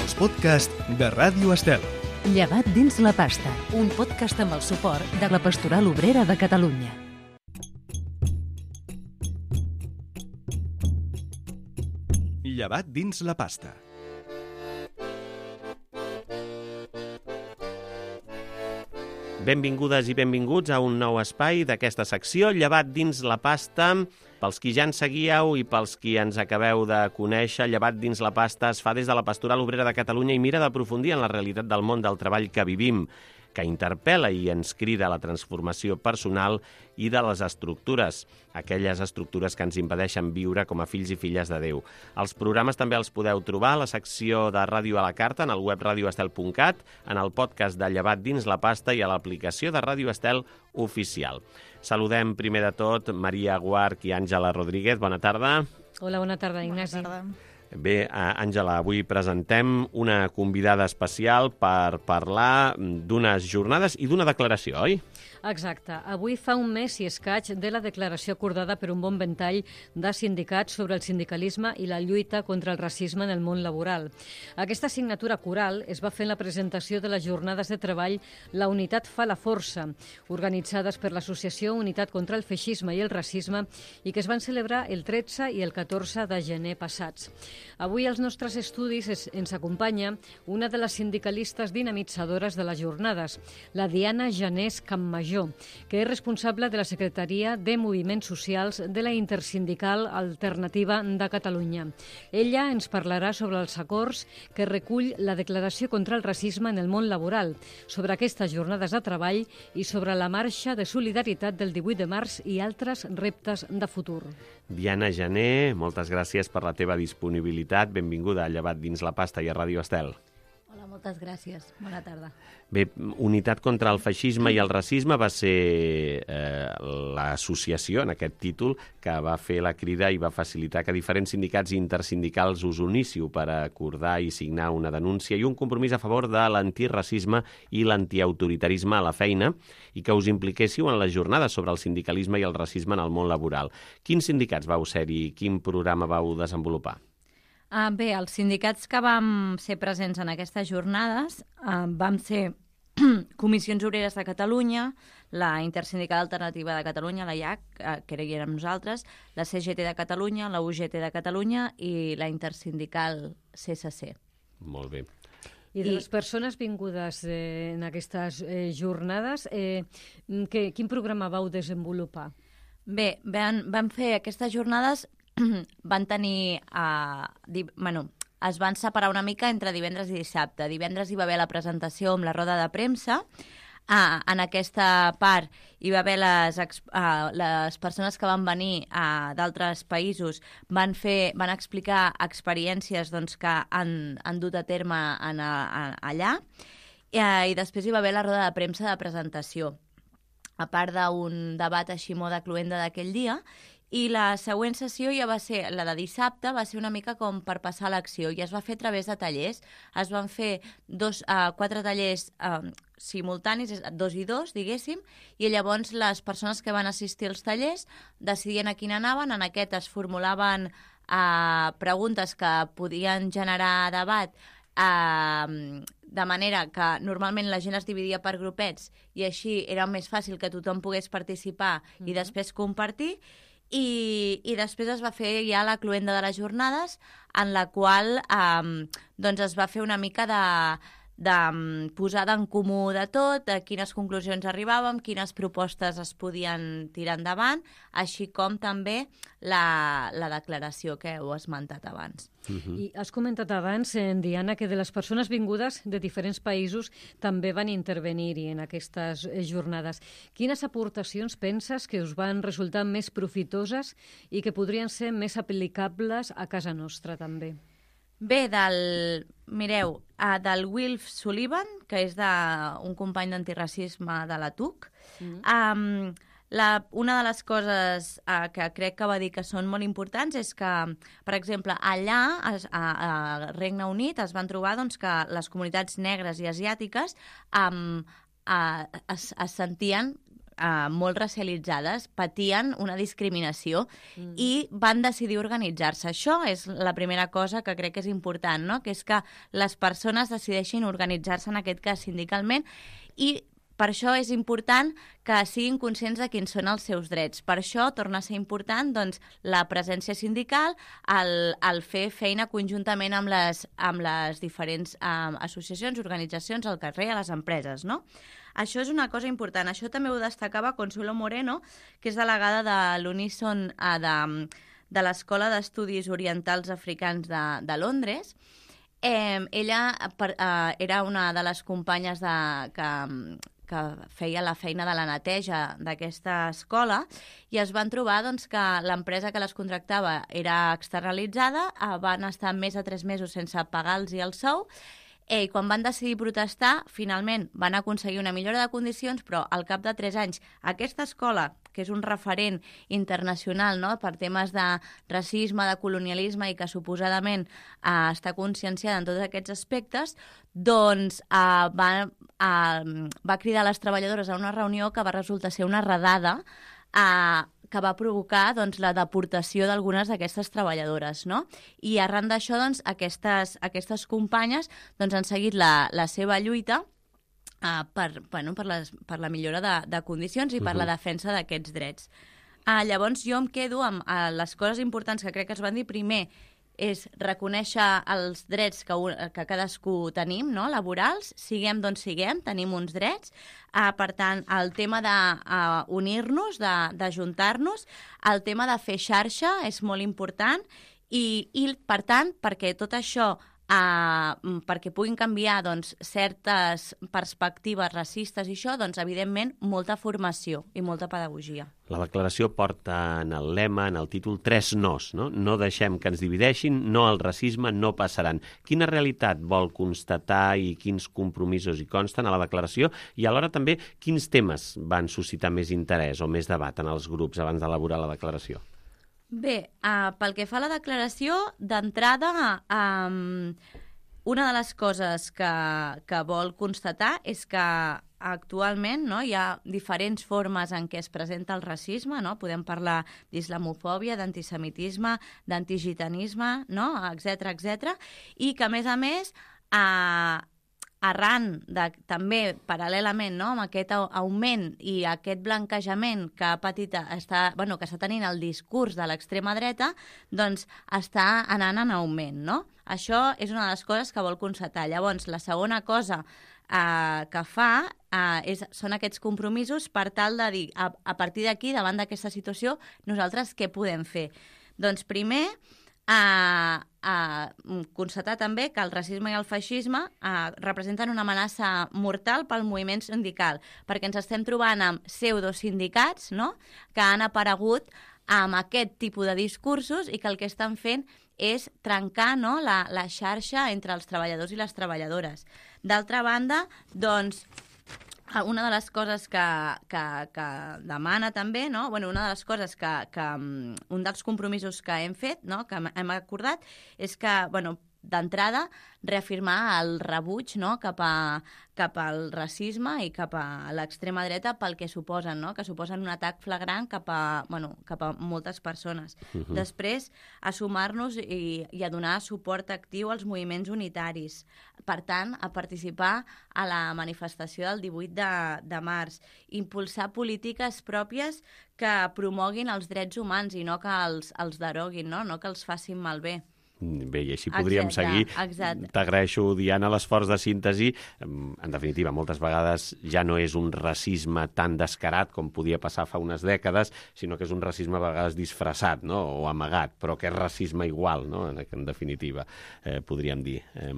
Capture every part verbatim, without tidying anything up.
els podcasts de Ràdio Estel. Llevat dins la pasta, un podcast amb el suport de la Pastoral Obrera de Catalunya. Llevat dins la pasta. Benvingudes i benvinguts a un nou espai d'aquesta secció, Llevat dins la pasta. Pels qui ja ens seguíeu i pels qui ens acabeu de conèixer, Llevat dins la pasta es fa des de la Pastoral Obrera de Catalunya i mira d'aprofundir en la realitat del món del treball que vivim, que interpel·la i ens crida a la transformació personal i de les estructures, aquelles estructures que ens impedeixen viure com a fills i filles de Déu. Els programes també els podeu trobar a la secció de Ràdio a la Carta, en el web radio estel punt cat, en el podcast de Llevat dins la pasta i a l'aplicació de Ràdio Estel oficial. Saludem primer de tot Maria Guarch i Àngela Rodríguez. Bona tarda. Hola, bona tarda, Ignasi. Bona tarda. Bé, Àngela, avui presentem una convidada especial per parlar d'unes jornades i d'una declaració, oi? Exacte. Avui fa un mes i escaig de la declaració acordada per un bon ventall de sindicats sobre el sindicalisme i la lluita contra el racisme en el món laboral. Aquesta signatura coral es va fer en la presentació de les jornades de treball La Unitat fa la força, organitzades per l'Associació Unitat contra el Feixisme i el Racisme i que es van celebrar el tretze i el catorze de gener passats. Avui als nostres estudis es, ens acompanya una de les sindicalistes dinamitzadores de les jornades, la Diana Janés Campmajor, que és responsable de la Secretaria de Moviments Socials de la Intersindical Alternativa de Catalunya. Ella ens parlarà sobre els acords que recull la Declaració contra el Racisme en el món laboral, sobre aquestes jornades de treball i sobre la marxa de solidaritat del divuit de març i altres reptes de futur. Diana Jané, moltes gràcies per la teva disponibilitat. Benvinguda a Llevat dins la pasta i a Ràdio Estel. Hola, moltes gràcies. Bona tarda. Bé, Unitat contra el Feixisme i el Racisme va ser eh, l'associació, en aquest títol, que va fer la crida i va facilitar que diferents sindicats i intersindicals us uníssiu per acordar i signar una denúncia i un compromís a favor de l'antiracisme i l'antiautoritarisme a la feina i que us impliquéssiu en les jornades sobre el sindicalisme i el racisme en el món laboral. Quins sindicats vau ser-hi i quin programa vau desenvolupar? Uh, bé, els sindicats que vam ser presents en aquestes jornades uh, vam ser Comissions Obreres de Catalunya, la Intersindical Alternativa de Catalunya, la I A C, uh, que érem nosaltres, la C G T de Catalunya, la U G T de Catalunya i la Intersindical C S C. Molt bé. I de les persones vingudes eh, en aquestes eh, jornades, eh, que, quin programa vau desenvolupar? Bé, van, van fer aquestes jornades van tenir... Uh, di, bueno, es van separar una mica entre divendres i dissabte. Divendres hi va haver la presentació amb la roda de premsa. Uh, en aquesta part hi va haver les, uh, les persones que van venir uh, d'altres països van, fer, van explicar experiències doncs, que han, han dut a terme en, a, allà uh, i després hi va haver la roda de premsa de presentació, a part d'un debat així molt de cluenda d'aquell dia. I la següent sessió ja va ser, la de dissabte, va ser una mica com per passar l'acció i es va fer a través de tallers. Es van fer dos, uh, quatre tallers uh, simultanis, dos i dos, diguéssim, i llavors les persones que van assistir als tallers decidien a quin anaven. En aquest es formulaven uh, preguntes que podien generar debat, uh, de manera que normalment la gent es dividia per grupets i així era més fàcil que tothom pogués participar mm-hmm. i després compartir. I, i després es va fer ja la cluenda de les jornades, en la qual eh, doncs es va fer una mica de, de posada en comú de tot, a quines conclusions arribàvem, quines propostes es podien tirar endavant, així com també la, la declaració que heu esmentat abans. Uh-huh. I has comentat abans, eh, Diana, que de les persones vingudes de diferents països també van intervenir-hi en aquestes jornades. Quines aportacions penses que us van resultar més profitoses i que podrien ser més aplicables a casa nostra també? Bé, del, mireu, uh, del Wilf Sullivan, que és de, un company d'antiracisme de la T U C, mm. um, La, una de les coses eh, que crec que va dir que són molt importants és que, per exemple, allà, a, a Regne Unit, es van trobar doncs, que les comunitats negres i asiàtiques um, eh, es, es sentien eh, molt racialitzades patien una discriminació mm. i van decidir organitzar-se. Això és la primera cosa que crec que és important, no? Que és que les persones decideixin organitzar-se, en aquest cas sindicalment, i per això és important que siguin conscients de quins són els seus drets. Per això torna a ser important doncs, la presència sindical, el, el fer feina conjuntament amb les, amb les diferents um, associacions, organitzacions al carrer, a les empreses, no? Això és una cosa important. Això també ho destacava Consuelo Moreno, que és delegada de l'Unison uh, de, de l'Escola d'Estudis Orientals Africans de, de Londres. Eh, ella per, uh, era una de les companyes de, que... que feia la feina de la neteja d'aquesta escola, i es van trobar doncs, que l'empresa que les contractava era externalitzada, van estar més de tres mesos sense pagar-los el sou, i quan van decidir protestar, finalment van aconseguir una millora de condicions, però al cap de tres anys aquesta escola, que és un referent internacional, no?, per temes de racisme, de colonialisme i que suposadament eh, està conscienciada en tots aquests aspectes, doncs eh, va, eh, va cridar les treballadores a una reunió que va resultar ser una redada eh, que va provocar doncs, la deportació d'algunes d'aquestes treballadores, no? I arran d'això, doncs, aquestes, aquestes companyes doncs, han seguit la, la seva lluita uh, per, bueno, per, les, per la millora de, de condicions i per uh-huh. la defensa d'aquests drets. Uh, llavors, jo em quedo amb uh, les coses importants que crec que es van dir. Primer, és reconèixer els drets que, que cadascú tenim, no?, laborals, siguem d'on siguem, tenim uns drets. Uh, per tant, el tema d'unir-nos, uh, d'ajuntar-nos, el tema de fer xarxa és molt important i, i per tant, perquè tot això, uh, perquè puguin canviar doncs, certes perspectives racistes i això, doncs, evidentment, molta formació i molta pedagogia. La declaració porta en el lema, en el títol, tres nos, no? No deixem que ens divideixin, no al racisme, no passaran. Quina realitat vol constatar i quins compromisos hi consten a la declaració i alhora també quins temes van suscitar més interès o més debat en els grups abans d'elaborar la declaració? Bé, uh, pel que fa a la declaració, d'entrada, um, una de les coses que, que vol constatar és que actualment no, hi ha diferents formes en què es presenta el racisme, no? Podem parlar d'islamofòbia, d'antisemitisme, d'antigitanisme, no? etcètera, etcètera, i que, a més a més, eh, arran de, també paral·lelament no, amb aquest augment i aquest blanquejament que ha patit, està, bueno, que està tenint el discurs de l'extrema dreta, doncs està anant en augment, no? Això és una de les coses que vol constatar. Llavors, la segona cosa Uh, que fa uh, és, són aquests compromisos per tal de dir, a, a partir d'aquí, davant d'aquesta situació, nosaltres què podem fer? Doncs primer, uh, uh, constatar també que el racisme i el feixisme uh, representen una amenaça mortal pel moviment sindical, perquè ens estem trobant amb pseudosindicats, no?, que han aparegut amb aquest tipus de discursos i que el que estan fent és trencar no, la, la xarxa entre els treballadors i les treballadores. D'altra banda, doncs, una de les coses que, que, que demana també, no? bueno, una de les coses que, que un dels compromisos que hem fet, no? que hem acordat, és que, bueno, d'entrada, reafirmar el rebuig no? cap, a, cap al racisme i cap a l'extrema dreta pel que suposen, no? que suposen un atac flagrant cap a, bueno, cap a moltes persones. Uh-huh. Després, a sumar-nos i, i a donar suport actiu als moviments unitaris. Per tant, a participar a la manifestació del divuit de març. Impulsar polítiques pròpies que promoguin els drets humans i no que els, els deroguin, no? no que els facin malbé. Bé, i així podríem exacte, seguir. Exacte. T'agraeixo, Diana, l'esforç de síntesi. En definitiva, moltes vegades ja no és un racisme tan descarat com podia passar fa unes dècades, sinó que és un racisme a vegades disfressat, no?, o amagat, però que és racisme igual, no?, en definitiva, eh, podríem dir. Eh...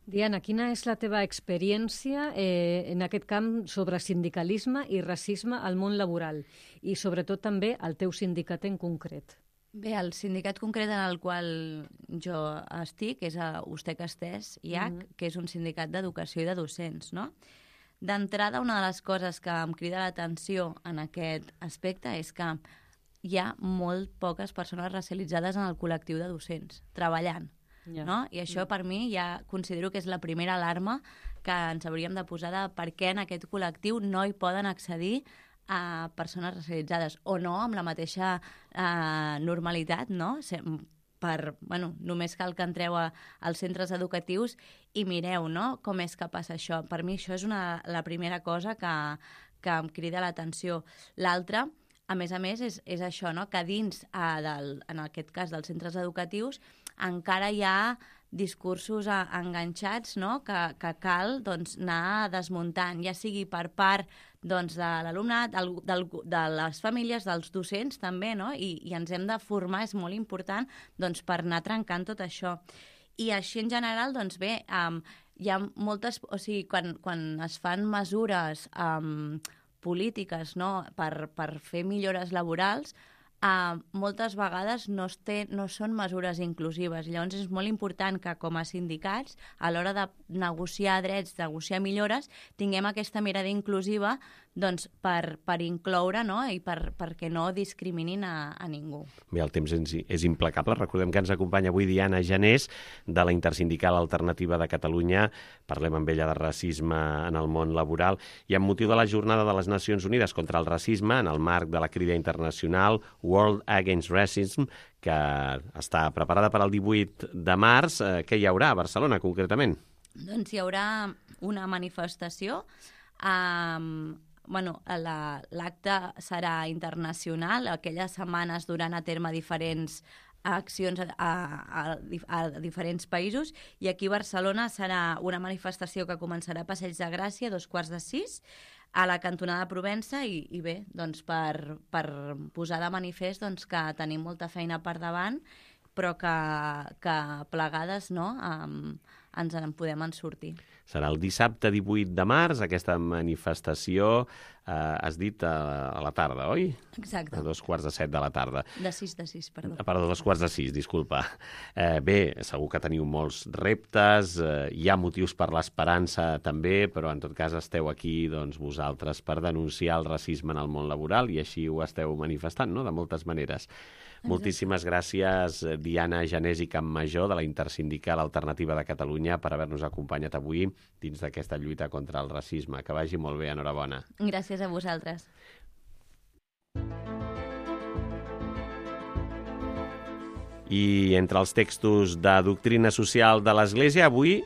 Diana, quina és la teva experiència eh, en aquest camp sobre sindicalisme i racisme al món laboral i sobretot també al teu sindicat en concret? Bé, el sindicat concret en el qual jo estic és a Ustec Estès I H, mm-hmm. que és un sindicat d'educació i de docents, no? D'entrada, una de les coses que em crida l'atenció en aquest aspecte és que hi ha molt poques persones racialitzades en el col·lectiu de docents, treballant, yeah. no? I això, per mi, ja considero que és la primera alarma que ens hauríem de posar de per què en aquest col·lectiu no hi poden accedir a persones racialitzades, o no amb la mateixa eh, normalitat, no? Per, bueno, només cal que entreu a, als centres educatius i mireu, no?, com és que passa això. Per mi això és una, la primera cosa que, que em crida l'atenció. L'altra, a més a més, és, és això, no?, que dins, eh, del, en aquest cas, dels centres educatius, encara hi ha discursos a, enganxats, no?, que, que cal, doncs, anar desmuntant, ja sigui per part, doncs, de l'alumnat, del, del, de les famílies, dels docents també, no?, I, i ens hem de formar, és molt important, doncs, per anar trencant tot això. I així en general, doncs bé, um, hi ha moltes, o sigui, quan, quan es fan mesures um, polítiques, no?, per, per fer millores laborals, Uh, moltes vegades no, es té, no són mesures inclusives. Llavors és molt important que com a sindicats, a l'hora de negociar drets, negociar millores, tinguem aquesta mirada inclusiva, doncs, per, per incloure, no?, i per, perquè no discriminin a, a ningú. Bé, el temps és, és implacable. Recordem que ens acompanya avui Diana Janés, de la Intersindical Alternativa de Catalunya. Parlem amb ella de racisme en el món laboral. I amb motiu de la Jornada de les Nacions Unides contra el Racisme, en el marc de la crida internacional World Against Racism, que està preparada per al divuit de març, eh, què hi haurà a Barcelona, concretament? Doncs hi haurà una manifestació. Um, bueno, la, l'acte serà internacional. Aquelles setmanes duran a terme diferents accions a, a, a, a diferents països, i aquí a Barcelona serà una manifestació que començarà a Passeig de Gràcia a dos quarts de sis, a la cantonada de Provença, i, i bé, doncs per, per posar de manifest, doncs, que tenim molta feina per davant, però que, que plegades, no?, um, ens en podem en sortir. Serà el dissabte divuit de març, aquesta manifestació, eh, has dit a, a la tarda, oi? Exacte. A dos quarts de set de la tarda. De sis, de sis, perdó. Perdó, dos quarts de sis, disculpa. Eh, bé, segur que teniu molts reptes, eh, hi ha motius per l'esperança també, però en tot cas esteu aquí, doncs, vosaltres per denunciar el racisme en el món laboral, i així ho esteu manifestant, no?, de moltes maneres. Exacte. Moltíssimes gràcies, Diana Janés i Campmajor, de la Intersindical Alternativa de Catalunya, per haver-nos acompanyat avui dins d'aquesta lluita contra el racisme. Que vagi molt bé, enhorabona. Gràcies a vosaltres. I entre els textos de doctrina social de l'Església, avui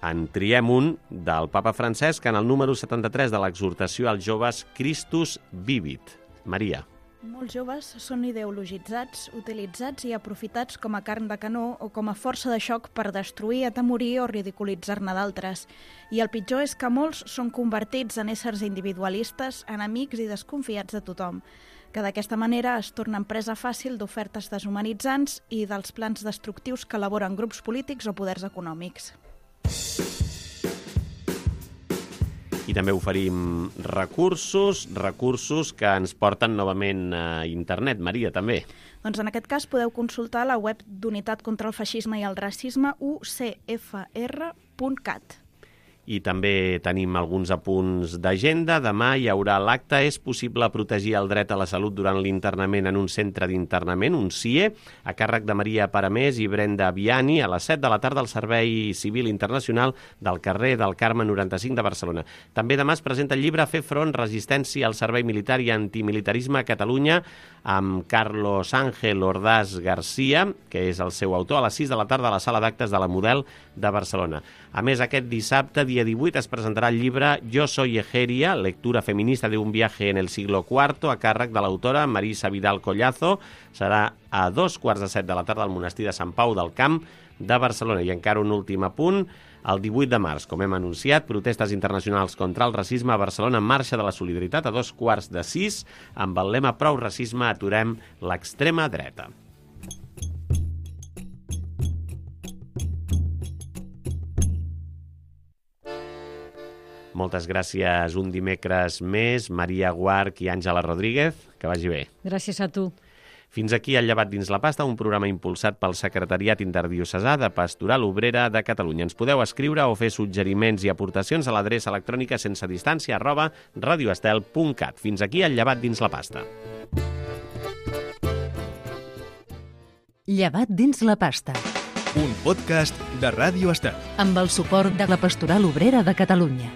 en triem un del papa Francesc en el número setanta-tres de l'exhortació als joves Christus Vivit. Maria. Molts joves són ideologitzats, utilitzats i aprofitats com a carn de canó o com a força de xoc per destruir, atemorir o ridiculitzar-ne d'altres. I el pitjor és que molts són convertits en éssers individualistes, enemics i desconfiats de tothom, que d'aquesta manera es tornen presa fàcil d'ofertes deshumanitzants i dels plans destructius que elaboren grups polítics o poders econòmics. I també oferim recursos, recursos que ens porten novament a internet. Maria, també. Doncs en aquest cas podeu consultar la web d'Unitat contra el Feixisme i el Racisme, u c f r punt cat. I també tenim alguns apunts d'agenda. Demà hi haurà l'acte És possible protegir el dret a la salut durant l'internament en un centre d'internament, un C I E, a càrrec de Maria Paramés i Brenda Viani, a les set de la tarda al Servei Civil Internacional del carrer del Carme noranta-cinc de Barcelona. També demà es presenta el llibre Fer front, resistència al servei militar i antimilitarisme a Catalunya, amb Carlos Ángel Ordaz García, que és el seu autor, a les sis de la tarda a la sala d'actes de la Model de Barcelona. A més, aquest dissabte, dia divuit, es presentarà el llibre Yo soy Egeria, lectura feminista de un viaje en el siglo cuarto, a càrrec de l'autora Marisa Vidal Collazo. Serà a dos quarts de set de la tarda al monestir de Sant Pau del Camp de Barcelona. I encara un últim apunt. El divuit de març, com hem anunciat, protestes internacionals contra el racisme a Barcelona en marxa de la solidaritat a dos quarts de sis, amb el lema Prou racisme, aturem l'extrema dreta. Moltes gràcies un dimecres més, Maria Guarch i Àngela Rodríguez. Que vagi bé. Gràcies a tu. Fins aquí el Llevat dins la pasta, un programa impulsat pel Secretariat Interdiocesà de Pastoral Obrera de Catalunya. Ens podeu escriure o fer suggeriments i aportacions a l'adreça electrònica sense distància arroba radioestel punt cat. Fins aquí el Llevat dins la pasta. Llevat dins la pasta. Un podcast de Ràdio Estel. Amb el suport de la Pastoral Obrera de Catalunya.